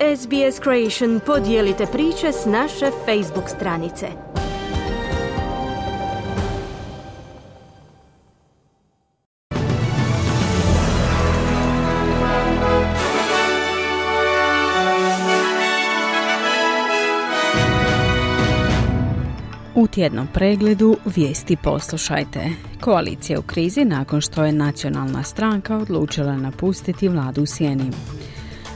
SBS Creation podijelite priče s naše Facebook stranice. U tjednom pregledu vijesti poslušajte. Koalicija u krizi nakon što je nacionalna stranka odlučila napustiti vladu u sjeni.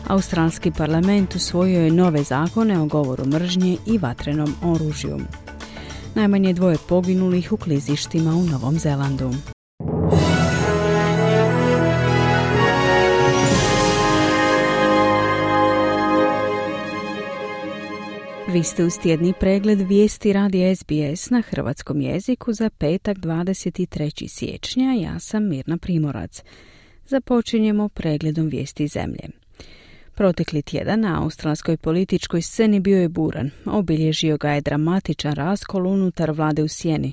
Australski parlament usvojio je nove zakone o govoru mržnje i vatrenom oružju. Najmanje 2 poginulih u klizištima u Novom Zelandu. Vi ste uz tjedni pregled vijesti radija SBS na hrvatskom jeziku za petak 23. siječnja. Ja sam Mirna Primorac. Započinjemo pregledom vijesti zemlje. Protekli tjedan na australskoj političkoj sceni bio je buran. Obilježio ga je dramatičan raskol unutar vlade u sjeni,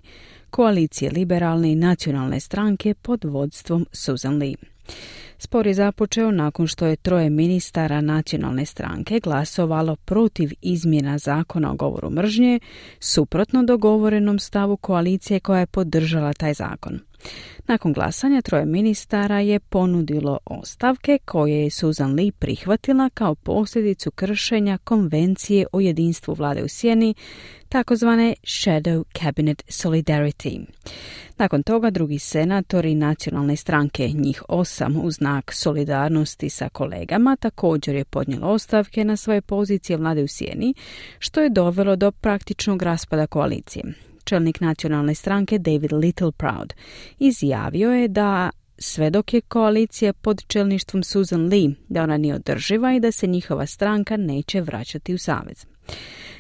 koalicije liberalne i nacionalne stranke pod vodstvom Susan Lee. Spor je započeo nakon što je 3 ministara nacionalne stranke glasovalo protiv izmjena zakona o govoru mržnje, suprotno dogovorenom stavu koalicije koja je podržala taj zakon. Nakon glasanja 3 ministara je ponudilo ostavke koje je Susan Lee prihvatila kao posljedicu kršenja konvencije o jedinstvu vlade u sjeni, takozvane Shadow Cabinet Solidarity. Nakon toga drugi senatori nacionalne stranke, njih 8 u znak solidarnosti sa kolegama, također je podnijelo ostavke na svoje pozicije vlade u sjeni, što je dovelo do praktičnog raspada koalicije. Čelnik nacionalne stranke David Littleproud izjavio je da sve dok je koalicija pod čelništvom Susan Lee, da ona nije održiva i da se njihova stranka neće vraćati u savez.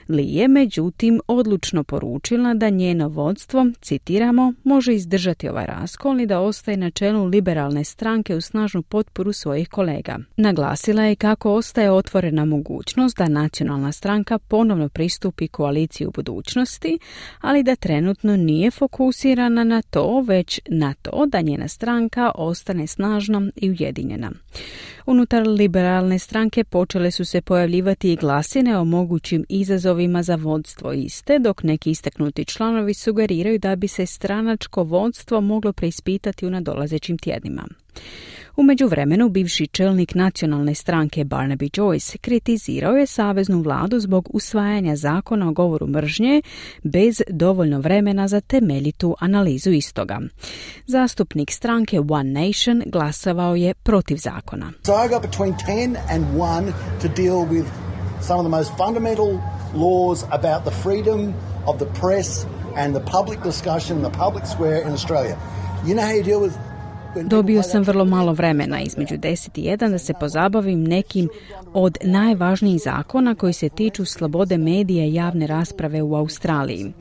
Lee je međutim odlučno poručila da njeno vodstvo, citiramo, može izdržati ovaj raskol i da ostaje na čelu liberalne stranke u snažnu potporu svojih kolega. Naglasila je kako ostaje otvorena mogućnost da nacionalna stranka ponovno pristupi koaliciji u budućnosti, ali da trenutno nije fokusirana na to, već na to da njena stranka ostane snažna i ujedinjena. Unutar liberalne stranke počele su se pojavljivati i glasine o mogućim izazovima za vodstvo iste, dok neki istaknuti članovi sugeriraju da bi se stranačko vodstvo moglo preispitati u nadolazećim tjednima. U međuvremenu, bivši čelnik nacionalne stranke Barnaby Joyce kritizirao je saveznu vladu zbog usvajanja zakona o govoru mržnje bez dovoljno vremena za temeljitu analizu istoga. Zastupnik stranke One Nation glasovao je protiv zakona. So I got between 10 and 1 to deal with some of the most fundamental laws about the freedom of the press and the public discussion, the public square in Australia. You know how you deal with. Dobio sam vrlo malo vremena, između 10 i 1, da se pozabavim nekim od najvažnijih zakona koji se tiču slobode medija i javne rasprave u Australiji.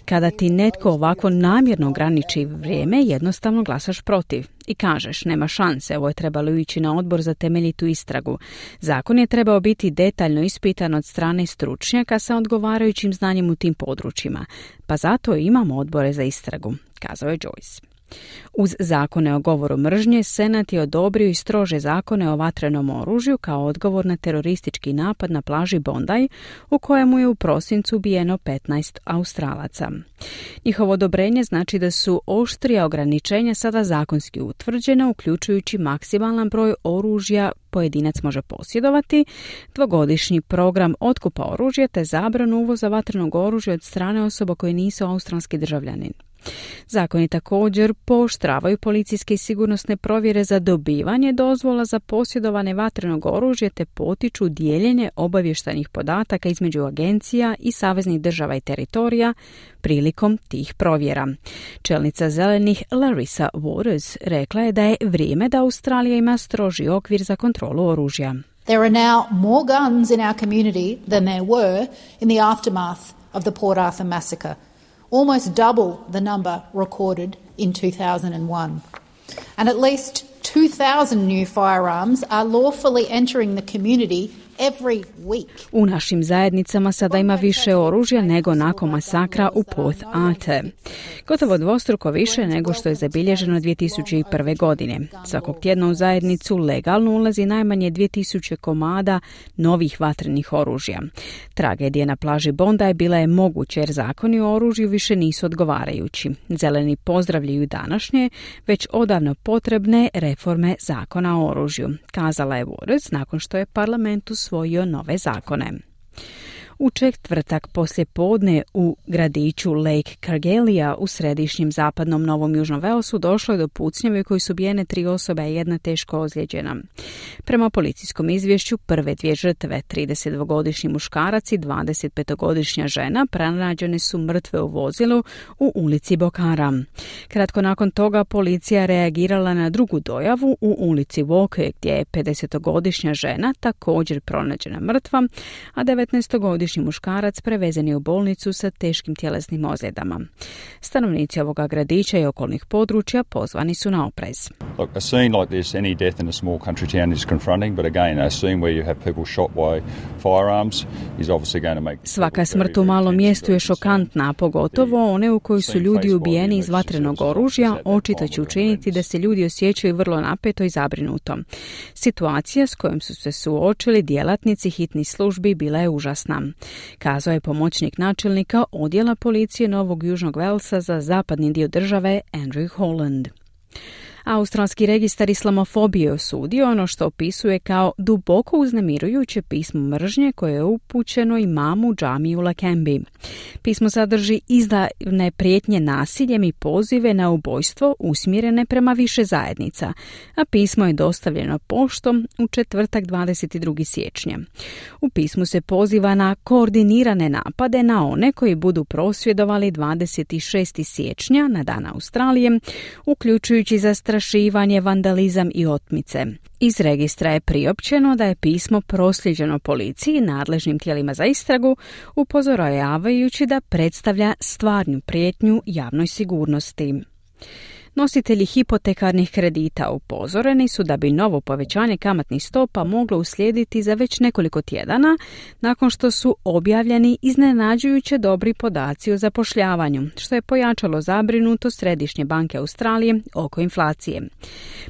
Kada ti netko ovako namjerno ograniči vrijeme, jednostavno glasaš protiv i kažeš nema šanse, ovo je trebalo ići na odbor za temeljitu istragu. Zakon je trebao biti detaljno ispitan od strane stručnjaka sa odgovarajućim znanjem u tim područjima, pa zato imamo odbore za istragu, kazao je Joyce. Uz zakone o govoru mržnje, Senat je odobrio i strože zakone o vatrenom oružju kao odgovor na teroristički napad na plaži Bondi, u kojemu je u prosincu ubijeno 15 Australaca. Njihovo odobrenje znači da su oštrija ograničenja sada zakonski utvrđena, uključujući maksimalan broj oružja pojedinac može posjedovati, 2-godišnji program otkupa oružja te zabranu uvoza vatrenog oružja od strane osoba koje nisu australski državljani. Zakoni također pooštravaju policijske i sigurnosne provjere za dobivanje dozvola za posjedovanje vatrenog oružja te potiču dijeljenje obavještajnih podataka između agencija i saveznih država i teritorija prilikom tih provjera. Čelnica zelenih Larissa Waters rekla je da je vrijeme da Australija ima stroži okvir za kontrolu oružja. There are now more guns in our community than there were in the aftermath of the Port Arthur massacre. Almost double the number recorded in 2001. And at least 2,000 new firearms are lawfully entering the community every week. U našim zajednicama sada ima više oružja nego nakon masakra u Port Arthur. Gotovo dvostruko više nego što je zabilježeno 2001. godine. Svakog tjedna u zajednicu legalno ulazi najmanje 2000 komada novih vatrenih oružja. Tragedija na plaži Bondi bila je moguća jer zakoni o oružju više nisu odgovarajući. Zeleni pozdravljaju današnje, već odavno potrebne reforme zakona o oružju, kazala je Waters nakon što je parlament usvojio nove zakone. U četvrtak poslje podne u gradiću Lake Cargelia u središnjem zapadnom Novom Južnom Walesu došlo je do pucnjave koji su ubijene 3 osobe, a 1 teško ozlijeđena. Prema policijskom izvješću, prve 2 žrtve, 32-godišnji muškarac i 25-godišnja žena, pronađene su mrtve u vozilu u ulici Bokara. Kratko nakon toga policija reagirala na drugu dojavu u ulici Walker, gdje je 50-godišnja žena također pronađena mrtva, a 19-godišnji muškarac prevezen je u bolnicu sa teškim tjelesnim ozljedama. Stanovnici ovoga gradića i okolnih područja pozvani su na oprez. Look, a scene like this, any death in a small country town is confronting, but again, a scene where you have people shot by firearms is obviously going to make... Svaka smrt u malom mjestu je šokantna, pogotovo one u kojoj su ljudi ubijeni iz vatrenog oružja, očito će učiniti da se ljudi osjećaju vrlo napeto i zabrinuto. Situacija s kojom su se suočili djelatnici hitnih službi bila je užasna, kazao je pomoćnik načelnika odjela policije Novog Južnog Walesa za zapadni dio države Andrew Holland. Australski registar islamofobije osudio ono što opisuje kao duboko uznemirujuće pismo mržnje koje je upućeno imamu džamiji u Lakembi. Pismo sadrži izdavne prijetnje nasiljem i pozive na ubojstvo usmjerene prema više zajednica, a pismo je dostavljeno poštom u četvrtak 22. siječnja. U pismu se poziva na koordinirane napade na one koji budu prosvjedovali 26. siječnja na Dan Australije, uključujući zastrašivanje, vandalizam i otmice. Iz registra je priopćeno da je pismo prosljeđeno policiji i nadležnim tijelima za istragu, upozoravajući da predstavlja stvarnu prijetnju javnoj sigurnosti. Nositelji hipotekarnih kredita upozoreni su da bi novo povećanje kamatnih stopa moglo uslijediti za već nekoliko tjedana nakon što su objavljeni iznenađujuće dobri podaci o zapošljavanju, što je pojačalo zabrinutost Središnje banke Australije oko inflacije.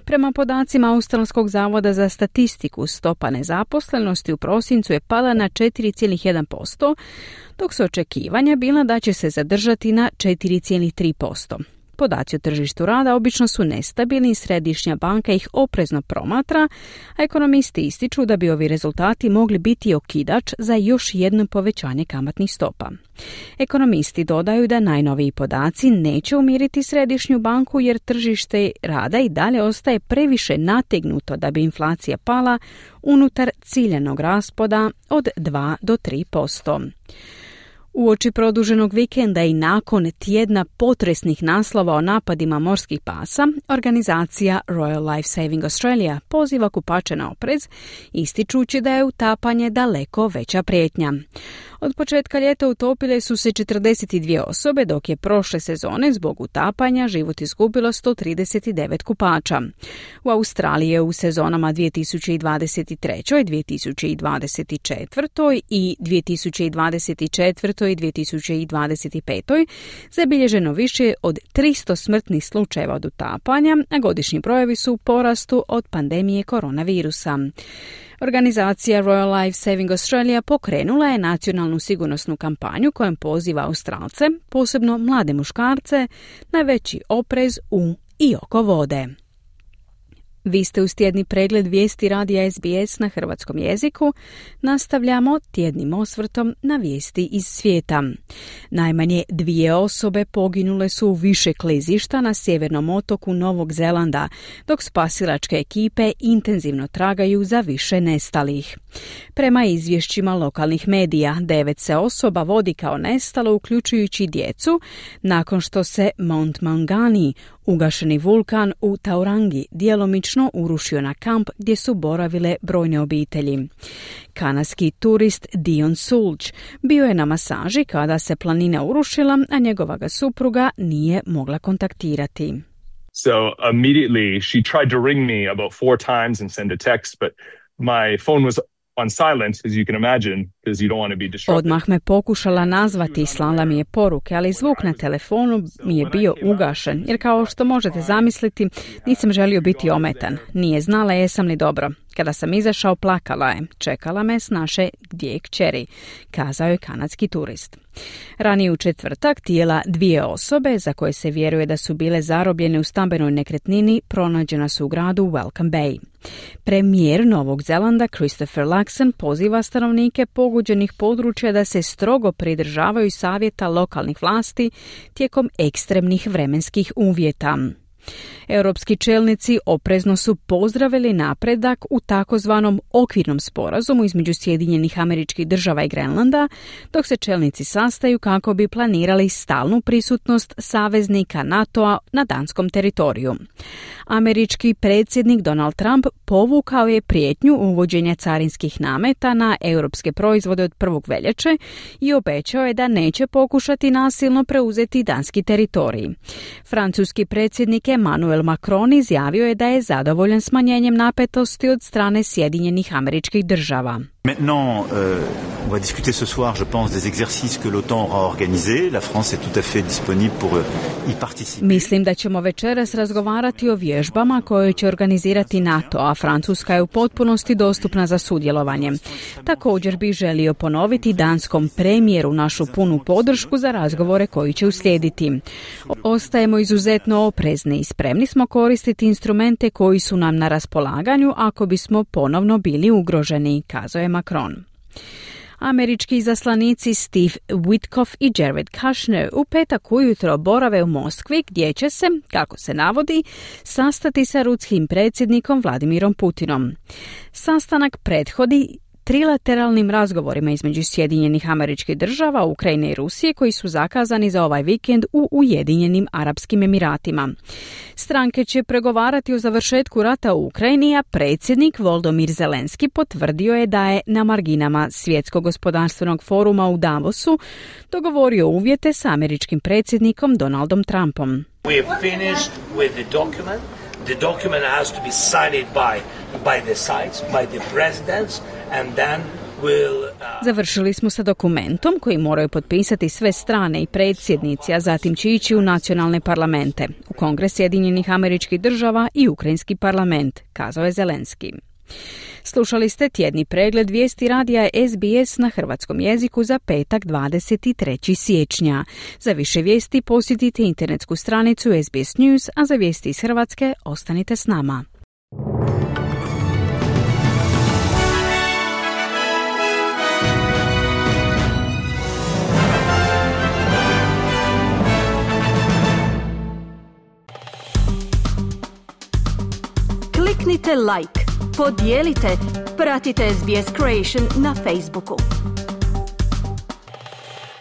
Prema podacima Australskog zavoda za statistiku, stopa nezaposlenosti u prosincu je pala na 4,1%, dok su očekivanja bila da će se zadržati na 4,3%. Podaci o tržištu rada obično su nestabilni i Središnja banka ih oprezno promatra, a ekonomisti ističu da bi ovi rezultati mogli biti okidač za još jedno povećanje kamatnih stopa. Ekonomisti dodaju da najnoviji podaci neće umiriti Središnju banku jer tržište rada i dalje ostaje previše nategnuto da bi inflacija pala unutar ciljanog raspoda od 2 do 3%. Uoči produženog vikenda i nakon tjedna potresnih naslova o napadima morskih pasa, organizacija Royal Life Saving Australia poziva kupače na oprez, ističući da je utapanje daleko veća prijetnja. Od početka ljeta utopile su se 42 osobe, dok je prošle sezone zbog utapanja život izgubilo 139 kupača. U Australiji je u sezonama 2023. 2024. i 2024. i 2025. zabilježeno više od 300 smrtnih slučajeva od utapanja, a godišnji brojevi su u porastu od pandemije koronavirusa. Organizacija Royal Life Saving Australia pokrenula je nacionalnu sigurnosnu kampanju kojom poziva Australce, posebno mlade muškarce, na veći oprez u i oko vode. Vi ste uz tjedni pregled vijesti radija SBS na hrvatskom jeziku. Nastavljamo tjednim osvrtom na vijesti iz svijeta. Najmanje 2 osobe poginule su u više klizišta na sjevernom otoku Novog Zelanda, dok spasilačke ekipe intenzivno tragaju za više nestalih. Prema izvješćima lokalnih medija, 9 se osoba vodi kao nestalo, uključujući djecu, nakon što se Mount Maungani, ugašeni vulkan u Taurangi, djelomično urušio na kamp gdje su boravile brojne obitelji. Kanadski turist Dion Sulch bio je na masaži kada se planina urušila, a njegova ga supruga nije mogla kontaktirati. So immediately she tried to ring me about 4 times and send a text, but my phone was on silent, as you can imagine, because you don't want to be disrupted. Odmah me pokušala nazvati i slala mi je poruke, ali zvuk na telefonu mi je bio ugašen, jer kao što možete zamisliti, nisam želio biti ometan. Nije znala jesam li dobro. Kada sam izašao, plakala je. Čekala me s naše dvije kćeri, kazao je kanadski turist. Ranije u četvrtak tijela 2 osobe, za koje se vjeruje da su bile zarobljene u stambenoj nekretnini, pronađena su u gradu Welcome Bay. Premijer Novog Zelanda Christopher Luxon poziva stanovnike pogođenih područja da se strogo pridržavaju savjeta lokalnih vlasti tijekom ekstremnih vremenskih uvjeta. Europski čelnici oprezno su pozdravili napredak u takozvanom okvirnom sporazumu između Sjedinjenih Američkih Država i Grenlanda, dok se čelnici sastaju kako bi planirali stalnu prisutnost saveznika NATO-a na danskom teritoriju. Američki predsjednik Donald Trump povukao je prijetnju uvođenja carinskih nameta na europske proizvode od 1. veljače i obećao je da neće pokušati nasilno preuzeti danski teritorij. Francuski predsjednik Emmanuel Macron izjavio je da je zadovoljan smanjenjem napetosti od strane Sjedinjenih Američkih Država. Maintenant, on va discuter ce soir, je pense, des exercices que l'OTAN aura organisés. La France est tout à fait disponible pour y participer. Mislim da ćemo večeras razgovarati o vježbama koje će organizirati NATO, a Francuska je u potpunosti dostupna za sudjelovanje. Također bih želio ponoviti danskom premijeru našu punu podršku za razgovore koji će uslijediti. Ostajemo izuzetno oprezni i spremni smo koristiti instrumente koji su nam na raspolaganju ako bismo ponovno bili ugroženi, kazao je Macron. Američki izaslanici Steve Witkoff i Jared Kushner u petak ujutro borave u Moskvi, gdje će se, kako se navodi, sastati sa ruskim predsjednikom Vladimirom Putinom. Sastanak prethodi trilateralnim razgovorima između Sjedinjenih Američkih Država, Ukrajine i Rusije koji su zakazani za ovaj vikend u Ujedinjenim Arapskim Emiratima. Stranke će pregovarati o završetku rata u Ukrajini, a predsjednik Volodymyr Zelenski potvrdio je da je na marginama Svjetskog gospodarstvenog foruma u Davosu dogovorio uvjete s američkim predsjednikom Donaldom Trumpom. We have finished with the document. The document has to be signed by the sides, by the presidents, and then Završili smo sa dokumentom koji moraju potpisati sve strane i predsjednici, a zatim će ići u nacionalne parlamente, u Kongres Sjedinjenih Američkih Država i Ukrajinski parlament, kazao je Zelenski. Slušali ste tjedni pregled vijesti radija SBS na hrvatskom jeziku za petak 23. siječnja. Za više vijesti posjetite internetsku stranicu SBS News, a za vijesti iz Hrvatske ostanite s nama. Kliknite like, podijelite, pratite SBS Creation na Facebooku.